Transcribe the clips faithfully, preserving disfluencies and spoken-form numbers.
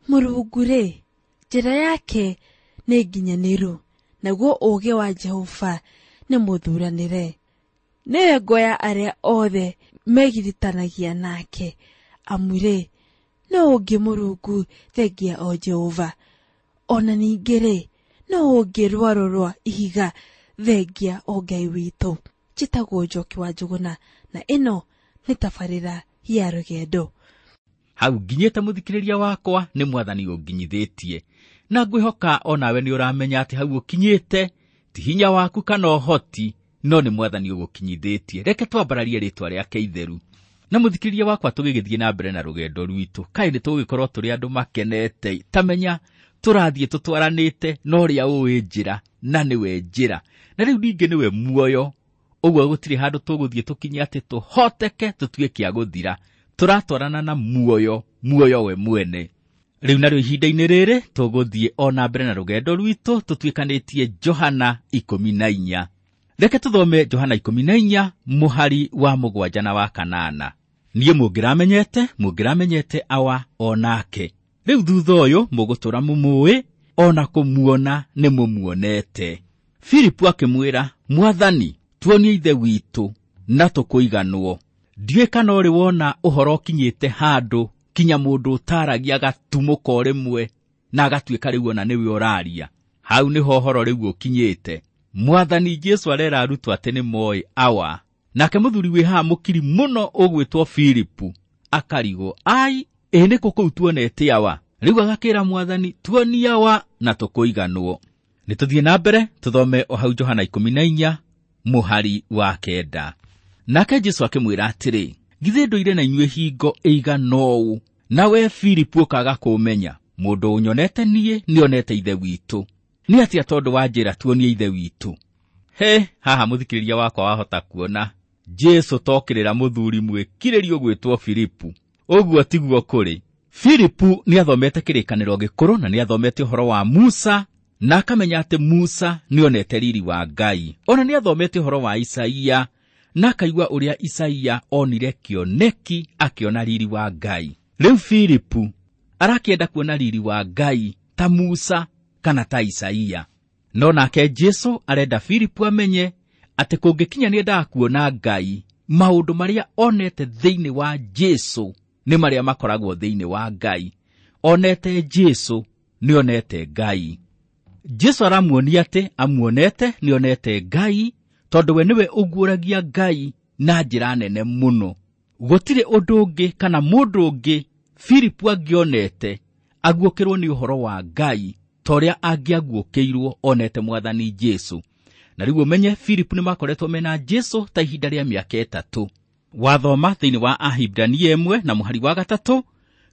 Mũrungu-rĩ, njĩra yake nĩ nginyanĩru, naguo ũũgĩ wa Jehova nĩ mũthuranĩre. Nĩwe ngo ya arĩa othe megiritanagia nake, amu-rĩ, nũũ ũngĩ Mũrungu thengia o Jehova? Ona ningĩ-rĩ, nũũ ũngĩ rwaro rwa ihiga thengia o Ngai witũ? Njĩtagwo Njoki wa Njũgũna, na ĩno nĩ tabarĩra ya rũgendo. Hau nginyĩte mũthikĩrĩria wakwa nĩ mwathani ũnginyithĩtie, na ngwĩhoka onawe nĩ ũramenya atĩ hau ũkinyĩte ti hinya waku kana ũhoti, no nĩ mwathani ũgũkinyithĩtie. Reke twambararie rĩtwa rĩake itheru. Na mũthikĩrĩria wakwa, tũgĩgĩthiĩ na mbere na rũgendo rwitũ, kaĩ nĩ tũgũgĩkorwo tũrĩ andũ makenete. Ta menya tũrathiĩ tũtwaranĩte na ũrĩa ũĩ njĩra, na nĩwe njĩra, na rĩu ningĩ nĩwe muoyo. Ũguo gũtirĩ handũ tũgũthiĩ tũkinye atĩ tũhoteke tũtuĩke a gũthira. Tũratwarana na muoyo, muoyo we mwene. Rĩu narĩo ihinda-inĩ rĩrĩ tũgũthiĩ o na mbere na rũgendo rwitũ tũtuĩkanĩtie Johana ikũmi na inya. Reke tũthome Johana ikũmi na inya mũhari wa mũgwanja na wa kanana. Niĩ mũngĩramenyete, mũngĩramenyete awa o nake. Rĩu thutha ũyũ mũgũtũra mũmũĩ, ona kũmuona nĩ mũmuonete. Filipu akĩmwĩra, Mwathani, tuonie Ithe witũ na tũkũiganwo. Ndiũĩ kana ũrĩ wona ũhoro ũkinyĩte handũ kinya mũndũ ũtaragia agatumũka o rĩmwe na agatuĩka rĩu ona nĩwe ũraria. Hau nĩho ũhoro rĩu ũkinyĩte. Mwathani Jesũ arera arutwo atĩ nĩ moĩ awa. Nake mũthuri wĩ haha mũkiri mũno ũgwĩtwo Filipu akarigwo, ai, ĩ nĩkũ kũu tuonete awa? Rĩu agakĩra Mwathani, tuonie awa na tũkũiganwo. Nĩ tũthiĩ na mbere tũthome o hau Johana ikũmi na inya mũhari wa kenda. Nake Jesũ akĩmwĩra atĩrĩ, githĩ ndũire na inyuĩ hingo ĩigana ũũ, nawe Filipu ũkaga kũmenya? Mũndũ ũnyonete niĩ nĩonete Ithe witũ. Nĩ atĩa tondũ wa njĩra tuonie Ithe witũ? He, haha mũthikĩrĩria wakwa wahota kuona Jesũ tokĩrĩra mũthuri mwĩkirĩrio gwĩtwo Filipu. Ũguo tiguo kũrĩ. Filipu nĩathomete kĩrĩkanĩro gĩkũrũ na nĩathomete ũhoro wa Musa, na akamenya atĩ Musa nĩonete riri wa Ngai. Ona nĩathomete ũhoro wa Isaia, na akaigua ũrĩa Isaia onire kĩoneki akĩona riri wa Ngai. Rĩu Filipu arakĩenda kuona riri wa Ngai ta Musa kana ta Isaia. No nake Jesũ arenda Filipu amenye atĩ kũngĩkinya nĩendaga kuona Ngai, maũndũ marĩa onete thĩinĩ wa Jesũ nĩ marĩa makoragwo thĩinĩ wa Ngai. Onete Jesũ nĩonete Ngai. Jesũ aramuonia atĩ amuonete nĩonete Ngai, tondũ we nĩwe ũguũragia Ngai na njĩra nene mũno. Gũtirĩ ũndũ ũngĩ kana mũndũ ũngĩ Filipu angĩonete aguũkĩrwo nĩ ũhoro wa Ngai ta ũrĩa angĩaguũkĩirwo onete Mwathani Jesũ. Na rĩu ũmenye Filipu nĩmakoretwo mena Jesũ ta ihinda rĩa mĩaka ĩtatũ. Wathoma thĩinĩ wa Ahibrania ĩmwe na mũhari wa gatatũ,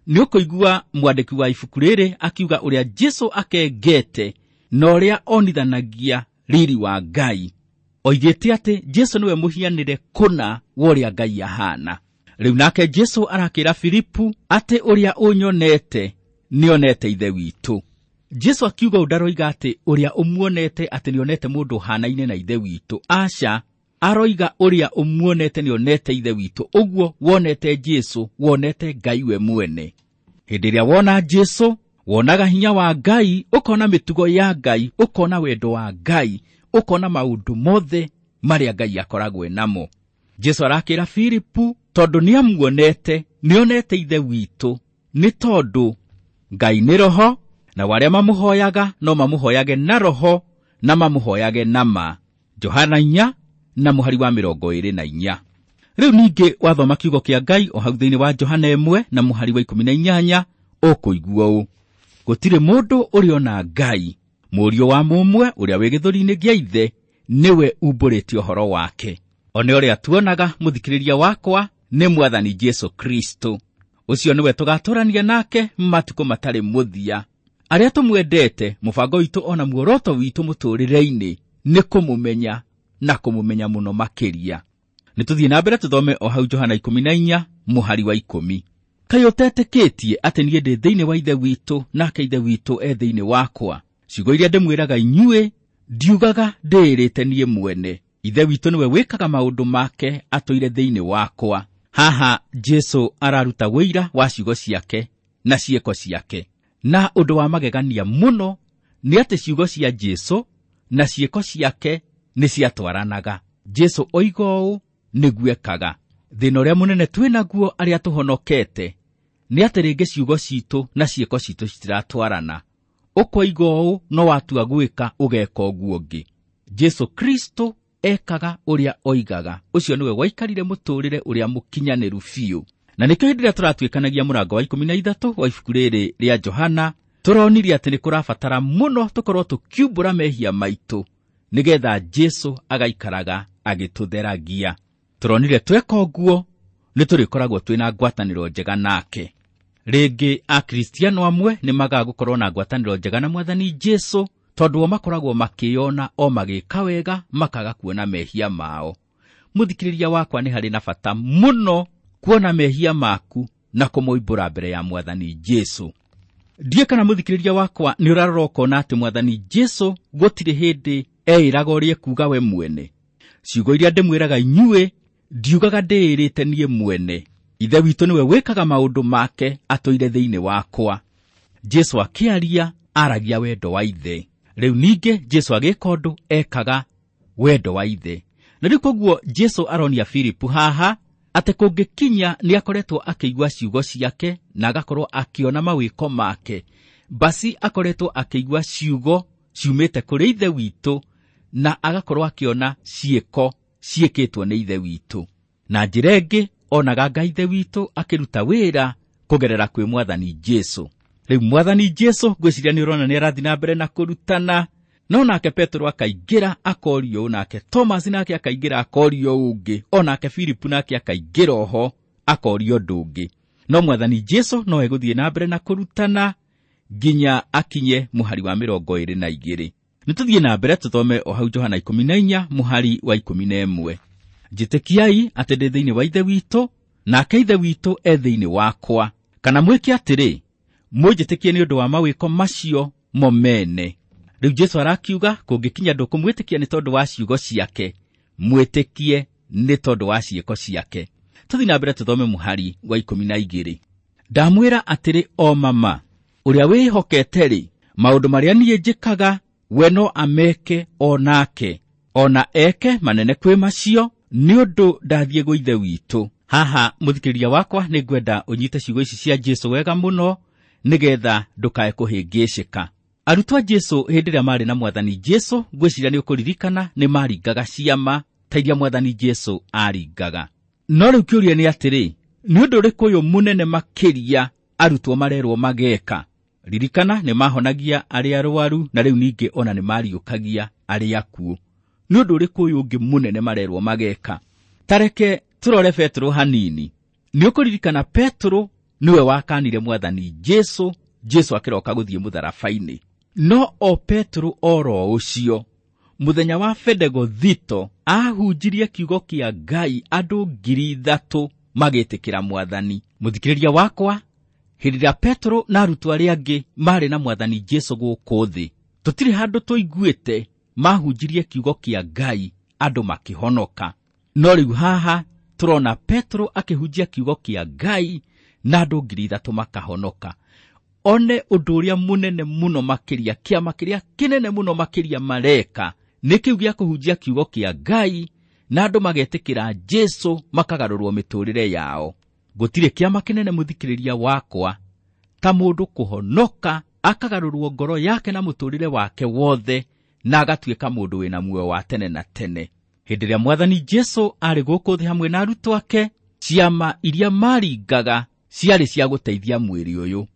nĩ ũkũigua mwandĩki wa ibuku rĩrĩ akiuga ũrĩa Jesũ akengete na ũrĩa onithanagia riri wa Ngai. Oigĩte atĩ Jesũ nĩwe mũhianĩre kũna wa ũrĩa Ngai ahana. Rĩu nake Jesũ arakĩra Filipu atĩ ũrĩa ũnyonete nĩonete Ithe witũ. Jesũ akiuga ũũ ndaroiga atĩ ũrĩa ũmuonete atĩ nĩonete mũndũ ũhanaine na Ithe witũ. Aca, aroiga ũrĩa ũmuonete nĩonete Ithe witũ. Ũguo wonete Jesũ, wonete Ngai we mwene. Hĩndĩ ĩrĩa wona Jesũ, wonaga hinya wa Ngai, ũkona mĩtugo ya Ngai, ũkona wendo wa Ngai, ũkona maũndũ mothe marĩa Ngai akoragwo namo. Jesũ arakĩra Filipu tondũ nĩamuonete, nĩonete Ithe witũ, nĩ tondũ Ngai nĩ roho, na arĩa mamũhoyaga no mamũhoyage na roho na mamũhoyage na ma. Johana inya na mũhari wa mĩrongo ĩrĩ na inya. Rĩu ningĩ wathoma kiugo kĩa Ngai o hau thĩinĩ wa Johana ĩmwe na mũhari wa ikũmi na inyanya, ũkũigua ũũ: gũtirĩ mũndũ ũrĩ ona Ngai, mũriũ wa mũmwe ũrĩa wĩ gĩthũri-inĩ gĩa Ithe nĩwe umbũrĩtie ũhoro wake. One ũrĩa tuonaga mũthikĩrĩria wakwa nĩ Mwathani Jesũ Kristo. Ũcio nĩwe tũgatũrania nake matukũ matarĩ mũthia. Arĩa tũmwendete, mũbango witũ ona muoroto witũ mũtũrĩre-inĩ nĩ kũmũmenya na kũmũmenya mũno makĩria. Nĩ tũthiĩ na mbere tũthome o hau Johana ikũmi na inya mũhari wa ikũmi. Kaĩ ũtetĩkĩtie atĩ niĩ ndĩ thĩinĩ wa Ithe witũ nake Ithe witũ e thĩinĩ wakwa? Ciugo iria ndĩmwĩraga inyuĩ ndiugaga ndĩĩrĩte niĩ mwene. Ithe witũ nĩwe wĩkaga maũndũ make atũire thĩinĩ wakwa. Haha Jesũ araruta wũira wa ciugo ciake na ciĩko ciake. Na ũndũ wa magegania mũno nĩ atĩ ciugo cia Jesu na ciĩko ciake nĩ ciatwaranaga. Jesu oiga ũũ nĩguo ekaga. Thĩna ũrĩa mũnene twĩ naguo arĩa tũhonokete nĩ atĩ rĩngĩ ciugo citũ na ciĩko citũ citiratwarana. Ũkoiga ũũ no watua gwĩka ũgeka ũguo ũngĩ. Jesu Kristo ekaga ũrĩa oigaga. Ũcio nĩwe waikarire mũtũũrĩre ũrĩa mũkinyanĩru biũ. Na nĩkĩo hĩndĩ ĩrĩa tũratuĩkanagia mũrango wa ikũmi na ithatũ wa ibuku rĩrĩ rĩa Johana, tũronirie atĩ nĩ kũrabatara mũno tũkorwo tũkiumbũra mehia maitũ nĩgetha Jesu agaikaraga agĩtũtheragia. Tũronire tweka ũguo nĩ tũrĩkoragwo twĩna ngwatanĩro njega nake. Rĩngĩ Akristiano amwe nĩ magaga gũkorwo na ngwatanĩro njega na Mwathani Jesu tondũ o makoragwo makĩyona o magĩka wega makaga kuona mehia mao. Mũthikĩrĩria wakwa, nĩ harĩ na bata mũno kuona mehia maku na kũmoimbũra mbere ya Mwathani Jesu. Ndiĩ kana mũthikĩrĩria wakwa nĩ ũrarora ũkona atĩ Mwathani Jesu gũtirĩ hĩndĩ eĩraga ũrĩa ekuuga we mwene. Ciugo iria ndĩmwĩraga inyuĩ ndiugaga ndĩĩrĩte niĩ mwene. Ithe witũ nĩwe wĩkaga maũndũ make atũire thĩinĩ wakwa. Jesu akĩaria aragia wendo wa Ithe. Rĩu ningĩ Jesu agĩka ũndũ ekaga wendo wa Ithe. Na rĩu koguo Jesu aronia Filipu haha atĩ kũngĩkinya nĩ akoretwo akĩigua ciugo ciake na agakorwo akĩona mawĩko make, basi akoretwo akĩigua ciugo ciumĩte kũrĩ Ithe witũ na agakorwo akĩona ciĩko ciĩkĩtwo nĩ Ithe witũ. Na njĩra ĩngĩ onaga Ngai Ithe witũ akĩruta wĩra kũgerera kwĩ Mwathani Jesu. Rĩu Mwathani Jesu ngwĩciria nĩ ũrona nĩ arathiĩ na mbere na kũrutana, no nake Petero akaingĩra akorio ũũ, nake Thomas nake akaingĩra akorio ũngĩ, o nake Filipu nake akaingĩra oho akorio ũndũ ũngĩ. No Mwathani Jesu no egũthiĩ na mbere na kũrutana nginya akinye mũhari wa mĩrongo ĩrĩ na igĩrĩ. Nĩ tũthiĩ na mbere tũthome o hau Johana ikũmi na inya mũhari wa ikũmi na ĩmwe. Njĩtĩkiai atĩ ndĩ thĩinĩ wa Ithe witũ, nake Ithe witũ e thĩinĩ wakwa. Kana mwĩke atĩrĩ, mũnjĩtĩkie nĩ ũndũ wa mawĩko macio mo mene. Rĩu Jesu arakiuga kũngĩkinya ndũkũmwĩtĩkia nĩ tondũ wa ciugo ciake, mwĩtĩkie nĩ tondũ wa ciĩko ciake. Tũthiĩ na mbere tũthome mũhari wa ikũmi na igĩrĩ. Ndamwĩra atĩrĩ o mama, ũrĩa wĩhokete-rĩ, maũndũ marĩa niĩ njĩkaga we no ameke o nake, o na eke manene kwĩ macio, nĩ ũndũ ndathiĩ gwĩ Ithe witũ. Haha mũthikĩrĩria wakwa, nĩ ngwenda ũnyite ciugo ici cia Jesu wega mũno nĩgetha ndũkae kũhĩngĩcĩka. Arutwo a Jesu hĩndĩ ĩrĩa marĩ na Mwathani Jesu, ngwĩciria nĩ ũkũririkana nĩ maringaga ciama ta iria Mwathani Jesu aringaga. No rĩu kĩũria nĩ atĩrĩ, nĩ ũndũ ũrĩkũ ũyũ mũnene makĩria arutwo marerwo mageka? Ririkana nĩ mahonagia arĩa arwaru na rĩu ningĩ ona nĩ mariũkagia arĩa akuũ. Nĩ ũndũ ũrĩkũ ũyũ ũngĩ mũnene marerwo mageka? Tareke tũrore Petero hanini. Nĩ ũkũririkana Petero nĩwe wakanire Mwathani Jesu, Jesu akĩroka gũthiĩ mũtharaba-inĩ. No o Petero oro ũcio mũthenya wa Bendegothito ahunjirie kiugo kĩa Ngai andũ ngiri ithatũ magĩtĩkĩra Mwathani. Mũthikĩrĩria wakwa, hĩndĩ ĩrĩa Petero na arutwo arĩa angĩ marĩ na Mwathani Jesu gũkũ thĩ, tũtirĩ handũ tũiguĩte mahunjirie kiugo kĩa Ngai andũ makĩhonoka. No rĩu haha tũrona Petero akĩhunjia kiugo kĩa Ngai na andũ ngiri ithatũ makahonoka. One ũndũ ũrĩa mũnene mũno makĩria, kĩama kĩrĩa kĩnene mũno makĩria mareka nĩ kĩu gĩa kũhunjia kiugo kĩa Ngai na andũ magetĩkĩra Jesu makagarũrwo mĩtũrĩre yao. Gũtirĩ kĩama kĩnene mũthikĩrĩria wakwa ta mũndũ kũhonoka akagarũrwo ngoro yake na mũtũrĩre wake wothe na agatuĩka mũndũ wĩna muoyo wa tene na tene. Hĩndĩ ĩrĩa Mwathani Jesu arĩ gũkũ thĩ hamwe na arutwo ake, ciama iria maringaga ciarĩ cia gũteithia mwĩrĩ ũyũ.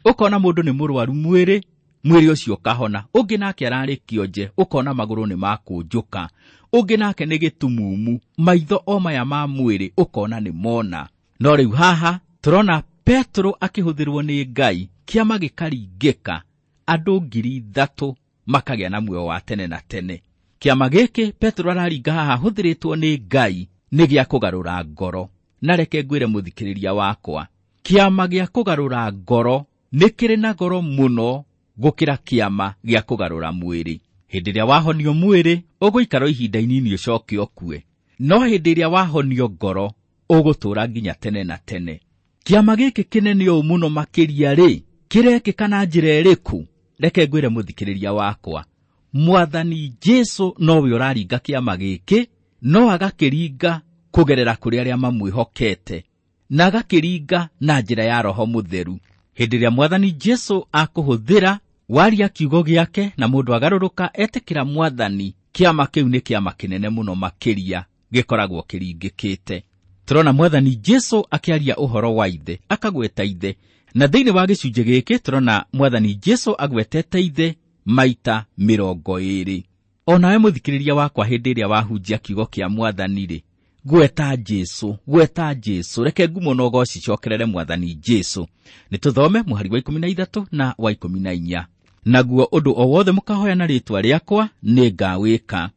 Ũkona mũndũ nĩ mũrwaru mwĩrĩ, mwĩrĩ ũcio ũkahona. Ũngĩ nake ararĩ kĩonje, ũkona magũrũ nĩ makũnjũka. Ũngĩ nake nĩ gĩtumumu, maitho o maya ma mwĩrĩ ũkona nĩ mona. No rĩu haha tũrona Petero akĩhũthĩrwo nĩ Ngai, kĩama gĩkaringĩka, andũ ngiri ithatũ makagĩa na muoyo wa tene na tene. Kĩama gĩkĩ Petero araringa haha ahũthĩrĩtwo nĩ Ngai nĩ gĩa kũgarũra ngoro. Na reke ngwĩre mũthikĩrĩria wakwa, kĩama gĩa kũgarũra ngoro nĩ kĩrĩ na goro mũno gũkĩra kĩama gĩa kũgarũra mwĩrĩ. Hĩndĩ ĩrĩa wahonio mwĩrĩ ũgũikara ihinda inini ũcoke ũkue, no hĩndĩ ĩrĩa wahonio ngoro ũgũtũũra nginya tene na tene. Kĩama gĩkĩ kĩnene ũũ mũno makĩria rĩ, Kĩrekĩka na njĩra ĩrĩkũ? Reke ngwĩre mũthikĩrĩria wakwa, Mwathani Jesu nowe ũraringa kĩama gĩkĩ, no agakĩringa kũgerera kũrĩ arĩa mamwĩhokete, na agakĩringa na njĩra ya Roho Mũtheru. Hĩndĩ ĩrĩa Mwathani Jesu akũhũthĩra waria kiugo gĩake na mũndũ agarũrũka etĩkĩra Mwathani, kĩama kĩu nĩ kĩama kĩnene mũno makĩria gĩkoragwo kĩringĩkĩte. Tũrona Mwathani Jesu akĩaria ũhoro wa ithe, akagweta ithe, na thĩinĩ wa gĩcunjĩ gĩkĩ tũrona Mwathani Jesu agwetete ithe maita mĩrongo ĩĩrĩ. O nawe mũthikĩrĩria wakwa, hĩndĩ ĩrĩa wahunjia kiugo kĩa Mwathani-rĩ, gweta Jesu, gweta Jesu, reke ngumo na ũgooci icokerere Mwathani Jesu. Nĩ tũthome mũhari wa ikũmi na ithatũ na wa ikũmi na inya. Naguo ũndũ o wothe mũkahoya na rĩĩtwa rĩakwa nĩ ngawĩka,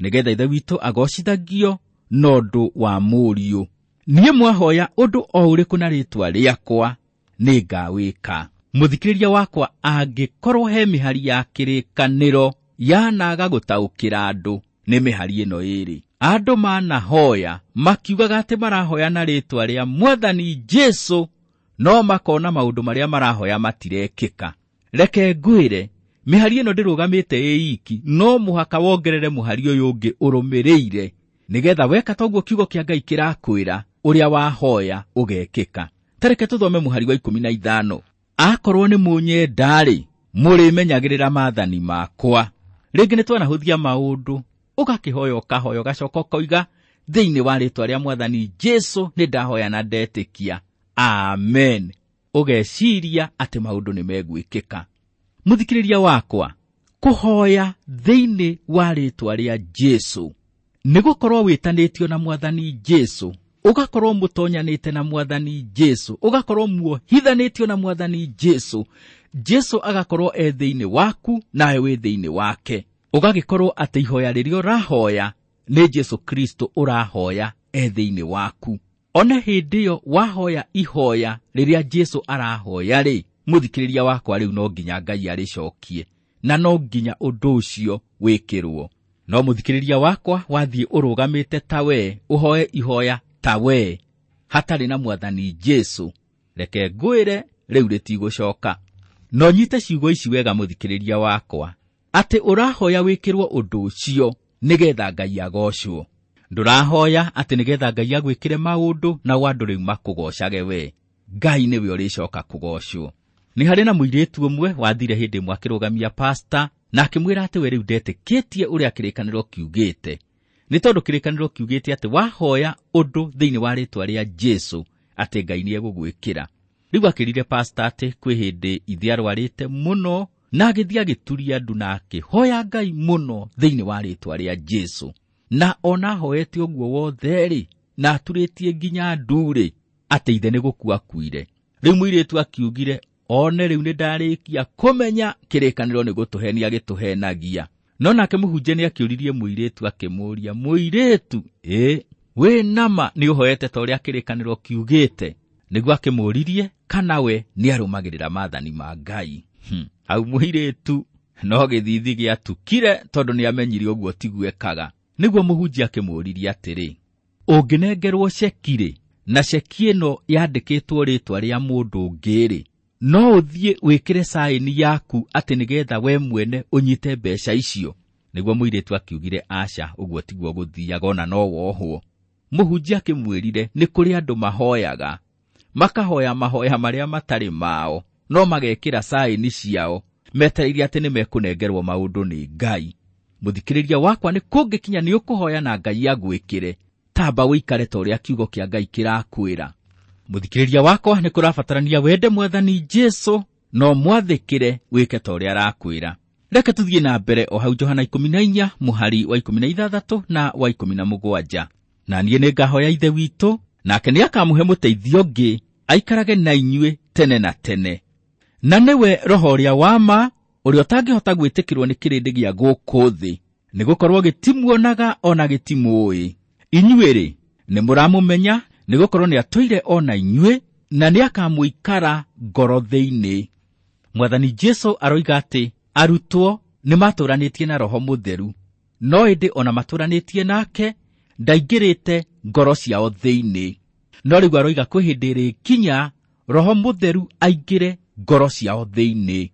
nĩgetha Ithe witũ agocithagio na ũndũ wa Mũriũ. Niĩ mwahoya ũndũ o ũrĩkũ na rĩĩtwa rĩakwa nĩ ngawĩka. Mũthikĩrĩria wakwa, angĩkorwo he mĩhari ya kĩrĩkanĩro yanaga gũtaũkĩra andũ, nĩ mĩhari ĩno ĩĩrĩ. Andũ manahoya makiugaga atĩ marahoya na rĩĩtwa rĩa Mwathani Jesu, no makona maũndũ marĩa marahoya matirekĩka. Reke ngwĩre, mĩhari ĩno ndĩrũgamĩte ĩ iki, no mũhaka wongerere mũhari ũyũ ũngĩ ũrũmĩrĩire, nĩgetha weka toguo kiugo kĩa Ngai kĩrakwĩra, ũrĩa wahoya ũgekĩka. Ta reke tũthome mũhari wa ikũmi na ithano. Akorwo nĩ mũnyenda-rĩ, mũrĩmenyagĩrĩra maathani makwa. Rĩngĩ nĩ twanahũthia maũndũ, ũgakĩhoya ũkahoya ũgacoka ũkoiga thĩinĩ wa rĩĩtwa rĩa Mwathani Jesu nĩ ndahoya na ndetĩkia, amen. Ũgeciria atĩ maũndũ nĩ megwĩkĩka. Mũthikĩrĩria wakwa, kũhoya thĩinĩ wa rĩĩtwa rĩa Jesu nĩ gũkorwo wĩtanĩtio na Mwathani Jesu, ũgakorwo mũtonyanĩte na Mwathani Jesu, ũgakorwo muohithanĩtio na Mwathani Jesu. Jesu agakorwo e thĩinĩ waku nawe wĩ thĩinĩ wake. Ũgagĩkorwo atĩ ihoya rĩrĩa ũrahoya nĩ Jesu Kristo ũrahoya e thĩinĩ waku. One hĩndĩ ĩyo wahoya ihoya rĩrĩa Jesu arahoya rĩ, mũthikĩrĩria wakwa, rĩu no nginya Ngai arĩcokie, na no nginya ũndũ ũcio wĩkĩrwo. No mũthikĩrĩria wakwa, wathiĩ ũrũgamĩte ta we, ũhoe ihoya ta we, hatarĩ na Mwathani Jesu, reke ngwĩre rĩu rĩtigũcoka. No nyite ciugo ici wega mũthikĩrĩria wakwa, atĩ ũrahoya wĩkĩrwo ũndũ ũcio nĩgetha Ngai agocwo. Ndũrahoya atĩ nĩgetha Ngai agwĩkĩre maũndũ nao andũ rĩu makũgocage we. Ngai nĩwe ũrĩcoka kũgocwo. Nĩ harĩ na mũirĩtu ũmwe wathire hĩndĩ ĩmwe akĩrũgamia pasta na akĩmwĩra atĩ we rĩu ndetĩkĩtie ũrĩa kĩrĩkanĩro kiugĩte, nĩ tondũ kĩrĩkanĩro kiugĩte atĩ wahoya ũndũ thĩinĩ wa rĩĩtwa rĩa Jesu atĩ Ngai nĩegũgwĩkĩra. Rĩu akĩrire pasta atĩ kwĩ hĩndĩ ithe arwarĩte mũno, na agĩthiĩ agĩturia ndu na akĩhoya Ngai mũno thĩinĩ wa rĩĩtwa rĩa Jesu. Na ona ahoete ũguo wothe-rĩ, na aturĩtie nginya ndu-rĩ, atĩ ithe nĩ gũkua akuire. Rĩu mũirĩtu akiugire, one rĩu nĩ ndarĩkia kũmenya kĩrĩkanĩro nĩ gũtũhenia gĩtũhenagia. No nake mũhunjia nĩ akĩũririe mũirĩtu akĩmũũria, mũirĩtu, ĩ wĩ nama nĩ ũhoete ta ũrĩa kĩrĩkanĩro kiugĩte? Nĩguo akĩmũũririe kana we nĩ arũmagĩrĩra maathani ma Ngai. Hmm. Hau mũirĩtu no gĩthithi gĩatukire tondũ nĩ amenyire ũguo tiguo ekaga. Nĩguo mũhunjia akĩmũũririe atĩrĩ, ũngĩnengerwo ceki-rĩ, na ceki ĩno yandĩkĩtwo rĩĩtwa rĩa mũndũ ũngĩ-rĩ, no ũthiĩ wĩkĩre saĩni yaku atĩ nĩgetha we mwene ũnyite mbeca icio? Nĩguo mũirĩtu akiugire, aca, ũguo tiguo gũthiaga, ona no wohwo. Mũhunjia akĩmwĩrire nĩ kũrĩ andũ mahoyaga, makahoya mahoya marĩa matarĩ mao, no magekĩra saĩni ciao, metereire atĩ nĩ mekũnengerwo maũndũ nĩ Ngai. Mũthikĩrĩria wakwa, nĩ kũngĩkinya nĩ ũkũhoya na Ngai agwĩkĩre, tamba ũikare ta ũrĩa kiugo kĩa Ngai kĩrakwĩra. Mũthikĩrĩria wakwa, nĩ kũrabatarania wende Mwathani Jesu no mwathĩkĩre wĩke ta ũrĩa arakwĩra. Reke tũthiĩ na mbere o hau Johana ikũmi na inya mũhari wa ikũmi na ithathatũ na wa ikũmi na mũgwanja. Na niĩ nĩngahoya Ithe witũ, nake nĩakamũhe mũteithio ũngĩ aikarage na inyuĩ tene na tene, na nĩwe Roho ũrĩa wa ma, ũrĩa ũtangĩhota gwĩtĩkĩrwo nĩ kĩrĩndĩ gĩa gũkũ thĩ, nĩgũkorwo gĩtimuonaga ona gĩtimũĩ. Inyuĩ-rĩ, nĩmũramũmenya, nĩgũkorwo nĩatũire o na inyuĩ, na nĩakamũikara ngoro thĩinĩ. Mwathani Jesu aroiga atĩ arutwo nĩmatũranĩtie na Roho Mũtheru, no ĩndĩ ona matũranĩtie nake ndaingĩrĩte ngoro ciao thĩinĩ. No rĩu aroiga kwĩ hĩndĩ ĩrĩkinya Roho Mũtheru aingĩre ngoro ciao thĩinĩ.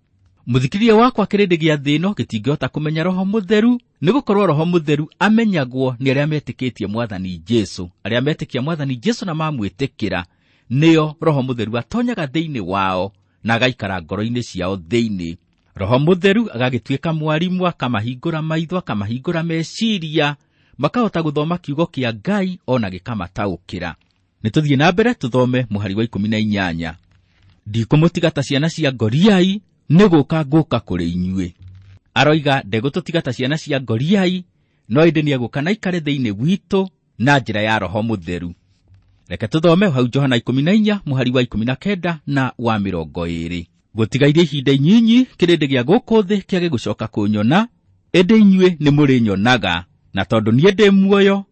Mũthikĩrĩria wakwa, kĩrĩndĩ gĩa thĩ ĩno gĩtingĩhota kũmenya Roho Mũtheru, nĩ gũkorwo Roho Mũtheru amenyagwo nĩ arĩa metĩkĩtie Mwathani Jesũ. Arĩa metĩkia Mwathani Jesũ na mamwĩtĩkĩra, nĩo Roho Mũtheru atonyaga thĩinĩ wao na agaikara ngoro-inĩ ciao thĩinĩ. Roho Mũtheru agagĩtuĩka mwarimũ, akamahingũra maitho, akamahingũra meciria, makahota gũthoma kiugo kĩa Ngai ona gĩkamataũkĩra. Nĩ tũthiĩ na mbere tũthome mũhari wa ikũmi na inyanya. Ndikũmũtiga ta ciana cia ngoriai, nĩ gũka ngũka kũrĩ inyuĩ. Aroiga ndegũtũtiga ta ciana cia ngoriai, no ĩndĩ nĩegũka na aikare thĩinĩ witũ na njĩra ya Roho Mũtheru. Reke tũthome hau Johana ikũmi na inya mũhari wa ikũmi na kenda na wa mĩrongo ĩĩrĩ. Gũtigairie ihinda inyinyi kĩrĩndĩ gĩa gũkũ thĩ kĩage gũcoka kũnyona, ĩndĩ inyuĩ nĩ mũrĩnyonaga, na tondũ niĩ ndĩ muoyo,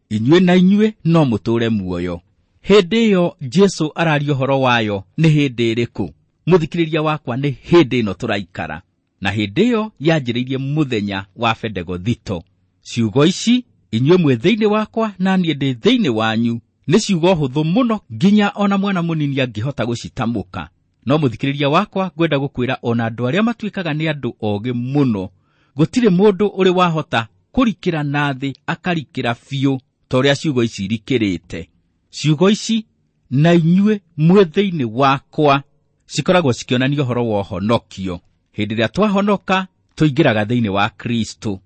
inyuĩ na inyuĩ no mũtũũre muoyo. Hĩndĩ ĩyo Jesũ araria ũhoro wayo nĩ hĩndĩ ĩrĩkũ? Mũthikĩrĩria wakwa, nĩ hĩndĩ ĩno tũraikara, na hĩndĩ ĩyo yanjĩrĩirie mũthenya wa Bendegothito. Ciugo ici, inyuĩ mwĩ thĩinĩ wakwa na niĩ ndĩ thĩinĩ wanyu, nĩ ciugo hũthũ mũno nginya ona mwana mũnini angĩhota gũcitamũka. No mũthikĩrĩria wakwa, ngwenda gũkwĩra ona andũ arĩa matuĩkaga nĩ andũ ogĩ mũno, gũtirĩ mũndũ ũrĩ wahota kũrikĩra na thĩ akarikĩra biũ ta ũrĩa ciugo ici irikĩrĩte. Ciugo ici, na inyuĩ mwĩ thĩinĩ wakwa, cikoragwo cikĩonania ũhoro wa ũhonokio. Hĩndĩ ĩrĩa twahonoka, tũingĩraga thĩinĩ wa Kristo.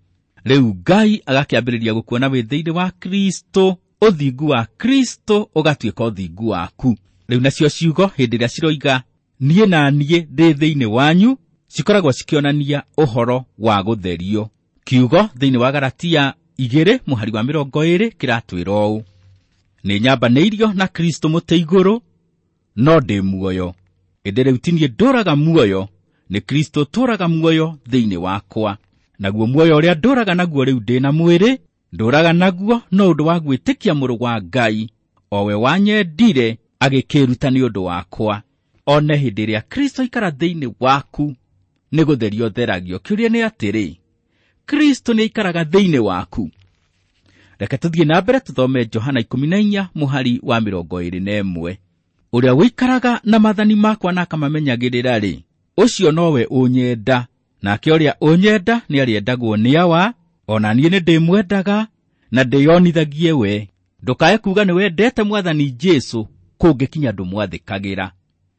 Rĩu Ngai agakĩambĩrĩria gũkuona wĩ thĩinĩ wa Kristo, ũthingu wa Kristo ũgatuĩka ũthingu waku. Rĩu nacio ciugo hĩndĩ ĩrĩa ciroiga niĩ na niĩ ndĩ thĩinĩ wanyu, cikoragwo cikĩonania ũhoro wa gũtherio. Kiugo thĩinĩ wa Galatia igĩrĩ mũhari wa mĩrongo ĩĩrĩ kĩratwĩra ũũ: nĩ nyambanĩirio na Kristo mũtĩ igũrũ, no ndĩ muoyo, ĩndĩ rĩu ti niĩ ndũraga muoyo, nĩ Kristo ũtũũraga muoyo thĩinĩ wakwa. Naguo muoyo ũrĩa ndũraga naguo rĩu ndĩ na mwĩrĩ, ndũraga naguo no ũndũ wa gwĩtĩkia Mũrũ wa Ngai, o we wanyendire agĩkĩĩruta nĩ ũndũ wakwa. One hĩndĩ ĩrĩa Kristo aikara thĩinĩ waku, nĩ gũtherio theragio. Kĩũria nĩ atĩrĩ, Kristo nĩ aikaraga thĩinĩ waku? Reke tũthiĩ na mbere tũthome Johana ikũmi na inya mũhari wa mĩrongo ĩĩrĩ na ĩmwe. Ũrĩa ũikaraga na maathani makwa na akamamenyagĩrĩra-rĩ, ũcio nowe ũnyenda, nake ũrĩa ũnyenda nĩarĩendagwo nĩ Awa, ona niĩ nĩndĩmwendaga na ndĩyonithagie we. Ndũkae kuuga nĩwendete Mwathani Jesũ kũngĩkinya ndũmwathĩkagĩra.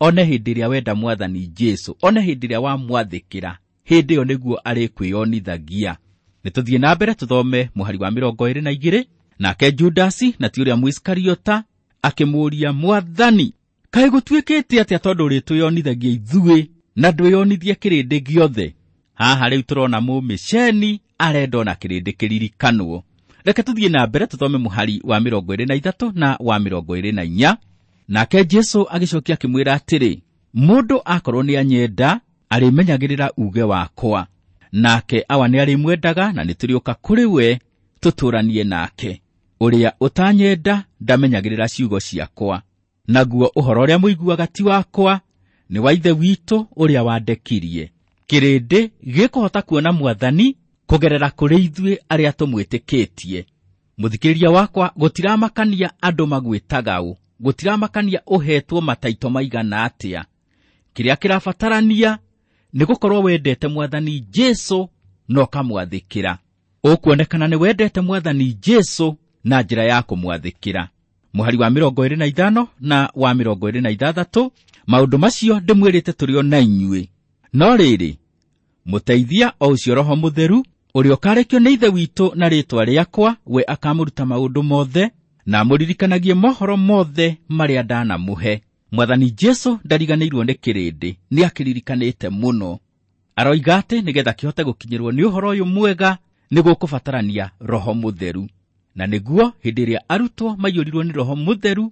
One hĩndĩ ĩrĩa wenda Mwathani Jesũ, one hĩndĩ ĩrĩa wamwathĩkĩra, hĩndĩ ĩyo nĩguo arĩkwĩyonithagia. Nĩ tũthiĩ na mbere tũthome mũhari wa mĩrongo ĩĩrĩ na igĩrĩ. Nake Judasi, na ti ũrĩa Mũisikariota, akĩmũũria, Mwathani, kaĩ gũtuĩkĩte atĩa tondũ ũrĩtwĩyonithagia ithuĩ na ndwĩyonithie kĩrĩndĩ gĩothe? Haha rĩu tũrona mũmĩceni arenda ona kĩrĩndĩ kĩririkanwo. Reke tũthiĩ na mbere tũthome mũhari wa mĩrongo ĩĩrĩ na ithatũ na wa mĩrongo ĩĩrĩ na inya. Nake Jesũ agĩcokia akĩmwĩra atĩrĩ, mũndũ akorwo nĩanyenda, arĩmenyagĩrĩra uuge wakwa, nake Awa nĩarĩmwendaga, na nĩtũrĩũka kũrĩ we tũtũũranie nake. Ũrĩa ũtanyenda ndamenyagĩrĩra ciugo ciakwa, naguo ũhoro ũrĩa mũiguaga ti wakwa, nĩ wa Ithe witũ ũrĩa wandekirie. Kĩrĩndĩ gĩkũhota kuona Mwathani kũgerera kũrĩ ithuĩ arĩa tũmwĩtĩkĩtie. Mũthikĩrĩria wakwa, gũtiramakania andũ magwĩtaga ũ, gũtiramakania ũhetwo mataito maigana atĩa. Kĩrĩa kĩrabatarania nĩ gũkorwo wendete Mwathani Jesũ na ũkamwathĩkĩra. Ũkuonekana nĩ wendete Mwathani Jesũ na njĩra ya kũmwathĩkĩra. Mũhari wa mĩrongo ĩĩrĩ na ithano na wa mĩrongo ĩĩrĩ na ithathatũ, maũndũ macio ndĩmwĩrĩte tũrĩ o na inyuĩ. No rĩrĩ, mũteithia o ũcio Roho Mũtheru, ũrĩa ũkarekio nĩ Ithe witũ na rĩĩtwa rĩakwa, we akamũruta maũndũ mothe na amũririkanagie mohoro mothe marĩa ndanamũhe. Mwathani Jesũ ndariganĩirwo nĩ kĩrĩndĩ, nĩ akĩririkanĩte mũno. Aroiga atĩ nĩgetha kĩhote gũkinyĩrwo nĩ ũhoro ũyũ mwega, nĩ gũkũbatarania Roho Mũtheru. Na nĩguo hĩndĩ ĩrĩa arutwo maiyũrirwo nĩ Roho Mũtheru,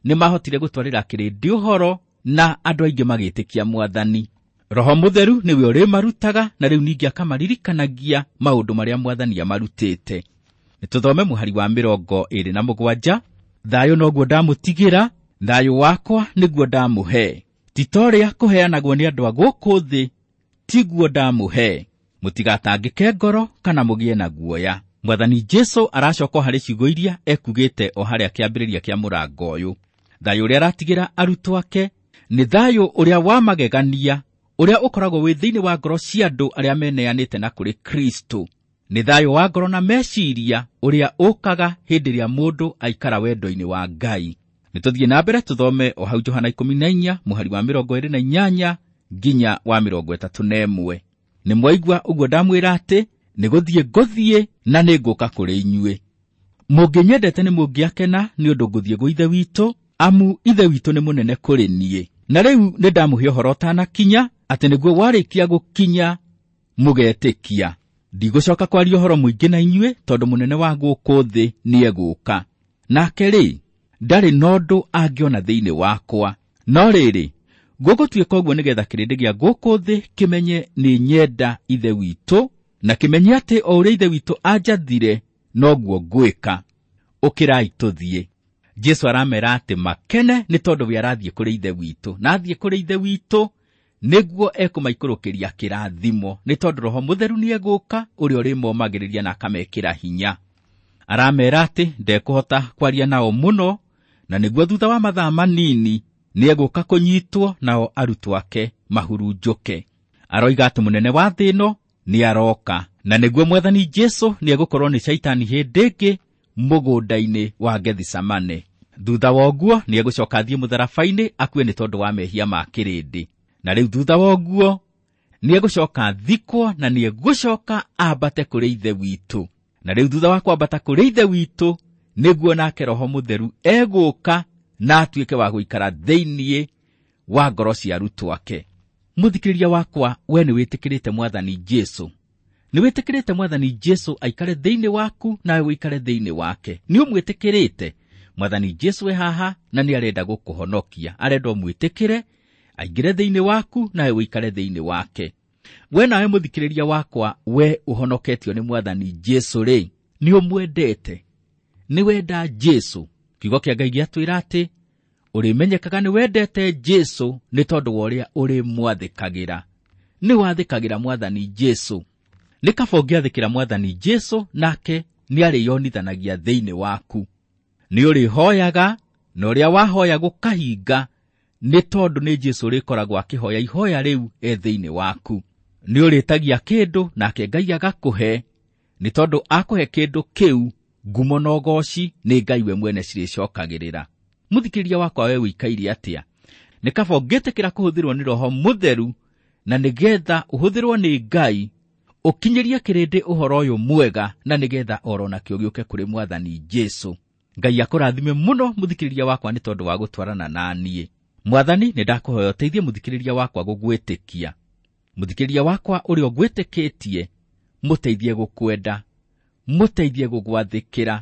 nĩ mahotire gũtwarĩra kĩrĩndĩ ũhoro na andũ aingĩ magĩtĩkia Mwathani. Roho Mũtheru nĩwe ũrĩmarutaga, na rĩu ningĩ akamaririkanagia maũndũ marĩa Mwathani amarutĩte. Nĩ tũthome mũhari wa mĩrongo ĩĩrĩ na mũgwanja. Thayũ noguo ndamũtigĩra, thayũ wakwa nĩguo ndamũhe. Ti ta ũrĩa kũheanagwo nĩ andũ a gũkũ thĩ, tiguo ndamũhe. Mũtigatangĩke ngoro kana mũgĩe na guoya. Mwathani Jesũ aracoka harĩ ciugo iria ekugĩte o harĩa kĩambĩrĩria kĩa mũrango ũyũ. Thayũ ũrĩa aratigĩra arutwo ake Nĩ thayũ ũrĩa wa magegania ũrĩa ũkoragwo wĩ thĩinĩ wa ngoro cia andũ arĩa meneanĩte na kũrĩ Kristo. Nĩ thayũ wa ngoro na meciria ũrĩa ũkaga hĩndĩ ĩrĩa mũndũ aikara wendo-inĩ wa Ngai. Nĩ tũthiĩ na mbere tũthome o hau Johana ikũmi na inya mũhari wa mĩrongo ĩrĩ na inyanya nginya wa mĩrongo ĩtatũ na ĩmwe. Nĩ mwaigua ũguo ndamwĩra atĩ nĩ gũthiĩ ngũthiĩ na nĩ ngũka kũrĩ inyuĩ. Mũngĩnyendete nĩ mũngĩakena nĩ ũndũ ngũthiĩ gwĩ Ithe witũ, amu Ithe witũ nĩ mũnene kũrĩ niĩ. Na rĩu nĩ ndamũhe ũhoro ũtanakinya, atĩ nĩguo warĩkia gũkinya mũgetĩkia. Ndigũcoka kwaria ũhoro mũingĩ na inyuĩ tondũ mũnene wa gũkũ thĩ nĩegũka. Nake rĩ, ndarĩ na ũndũ angĩona thĩinĩ wakwa. No rĩrĩ, gũgũtuĩka ũguo nĩgetha kĩrĩndĩ gĩa gũkũ thĩ kĩmenye nĩ nyenda Ithe witũ, na kĩmenye atĩ o ũrĩa Ithe witũ anjathire noguo ngwĩka. Ũkĩrai tũthiĩ. Jesu aramera atĩ makene nĩ tondũ we arathiĩ kũrĩ Ithe witũ, na athiĩ kũrĩ Ithe witũ nĩguo ekũmaikũrũkĩria kĩrathimo, nĩ tondũ Roho Mũtheru nĩegũka ũrĩa ũrĩmomagĩrĩria na akamekĩra hinya. Aramera atĩ ndekũhota kwaria nao mũno, na nĩguo thutha wa mathaa manini nĩegũka kũnyitwo nao arutwo ake mahurunjũke. Aroiga atĩ mũnene wa thĩ ĩno nĩaroka, na nĩguo Mwathani Jesu nĩegũkorwo nĩ Shaitani hĩndĩ ĩngĩ mũgũnda-inĩ wa Gethisemane. Thutha wa ũguo nĩegũcoka athiĩ mũtharaba-inĩ akue nĩ tondũ wa mehia ma kĩrĩndĩ. Na rĩu thutha wa ũguo nĩegũcoka athikwo na nĩegũcoka ambate kũrĩ Ithe witũ. Na rĩu thutha wa kwambata kũrĩ Ithe witũ nĩguo nake Roho Mũtheru egũka na atuĩke wa gũikara thĩinĩ wa ngoro cia arutwo ake. Mũthikĩrĩria wakwa, we nĩwĩtĩkĩrĩte Mwathani Jesu. Nĩwĩtĩkĩrĩte Mwathani Jesu aikare thĩinĩ waku nawe ũikare thĩinĩ wake. Nĩũmwĩtĩkĩrĩte Mwathani Jesu e haha na nĩarenda gũkũhonokia. Arenda ũmwĩtĩkĩre aingĩre thĩinĩ waku nawe ũikare thĩinĩ wake. We nawe mũthikĩrĩria wakwa, we ũhonoketio nĩ Mwathani Jesu rĩ, nĩũmwendete? Nĩwenda Jesu? Kiugo kĩa Ngai gĩatwĩra atĩ ũrĩmenyekaga nĩwendete Jesu nĩ tondũ wa ũrĩa ũrĩmwathĩkagĩra. Nĩwathĩkagĩra Mwathani Jesu. Nĩ kaba ũngĩathĩkĩra Mwathani Jesu, nake nĩarĩyonithanagia thĩinĩ waku. Nĩũrĩhoyaga, na ũrĩa wahoya gũkahinga, nĩ tondũ nĩ Jesu ũrĩkoragwo akĩhoya ihoya rĩu e thĩinĩ waku. Nĩũrĩtagia kĩndũ nake Ngai agakũhe, nĩ tondũ akũhe kĩndũ kĩu ngumo na ũgooci nĩ Ngai we mwene cirĩcokagĩrĩra. Mũthikĩrĩria wakwa, we ũikaire atĩa? Nĩ kaba ũngĩtĩkĩra kũhũthĩrwo nĩ Roho Mũtheru, na nĩgetha ũhũthĩrwo nĩ Ngai ũkinyĩrie kĩrĩndĩ ũhoro ũyũ mwega, na nĩgetha oro nakĩo gĩũke kũrĩ Mwathani Jesu. Ngai akũrathime mũno mũthikĩrĩria wakwa nĩ tondũ wa gũtwarana na niĩ. Mwathani, nĩ ndakũhoya ũteithie mũthikĩrĩria wakwa gũgwĩtĩkia. Mũthikĩrĩria wakwa ũrĩa ũgwĩtĩkĩtie, mũteithie gũkwenda, mũteithie gũgwathĩkĩra,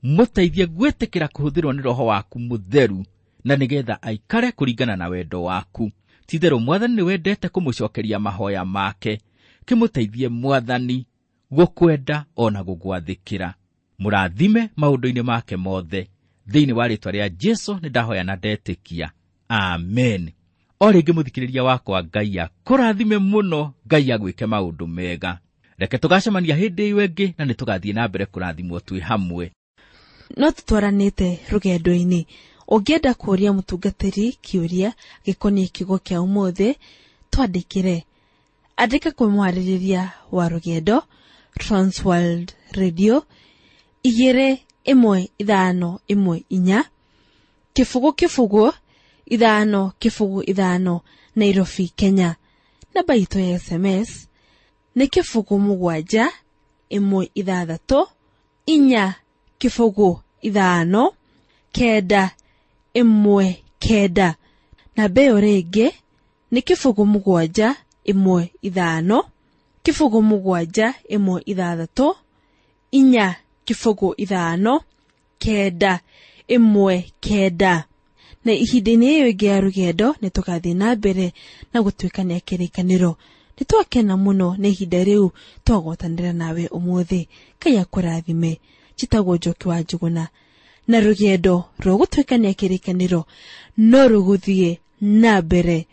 mũteithie gwĩtĩkĩra kũhũthĩrwo nĩ Roho waku Mũtheru, na nĩgetha aikare kũringana na wendo waku. Ti-itherũ Mwathani nĩwendete kũmũcokeria mahoya make. Kĩmũteithie Mwathani gũkwenda ona gũgwathĩkĩra. Mũrathime maũndũ-inĩ make mothe. Thĩinĩ wa rĩĩtwa rĩa Jesu nĩ ndahoya na ndetĩkia. Amen. O rĩngĩ mũthikĩrĩria wakwa, Ngai akũrathime mũno, Ngai agwĩke maũndũ mega. Reke tũgacemania hĩndĩ ĩyo ĩngĩ na nĩtũgathiĩ na mbere kũrathimwo twĩ hamwe. No tũtwaranĩte rũgendo-inĩ. Ũngĩenda kũũria mũtungatĩri kĩũria gĩkoniĩ kiugo kĩa ũmũthĩ, twandĩkĩre. Andĩka kwĩ mwarĩrĩria wa rũgendo, Transworld Radio, igĩrĩ ĩmwe ithano ĩmwe inya, kĩbũgũ kĩbũgũ ithano kĩbũgũ ithano, Nairobi, Kenya. Namba itũ ya S M S nĩ kĩbũgũ mũgwanja ĩmwe ithathatũ inya kĩbũgũ ithano kenda ĩmwe kenda. Namba ĩyo rĩngĩ nĩ kĩbũgũ mũgwanja ĩmwe ithano kĩbũgũ mũgwanja ĩmwe ithathatũ inya kĩbũgũ ithano kenda ĩmwe kenda. Na ihinda-inĩ ĩyo ĩngĩ ya rũgendo nĩ tũgathiĩ na mbere na gũtuĩkania kĩrĩkanĩro. Nĩ twakena mũno nĩ ihinda rĩu twagwatanĩra nawe ũmũthĩ. Ngai akũrathime. Njĩtagwo Njoki wa Njũgũna, na rũgendo rwa gũtuĩkania kĩrĩkanĩro no rũgũthiĩ na mbere.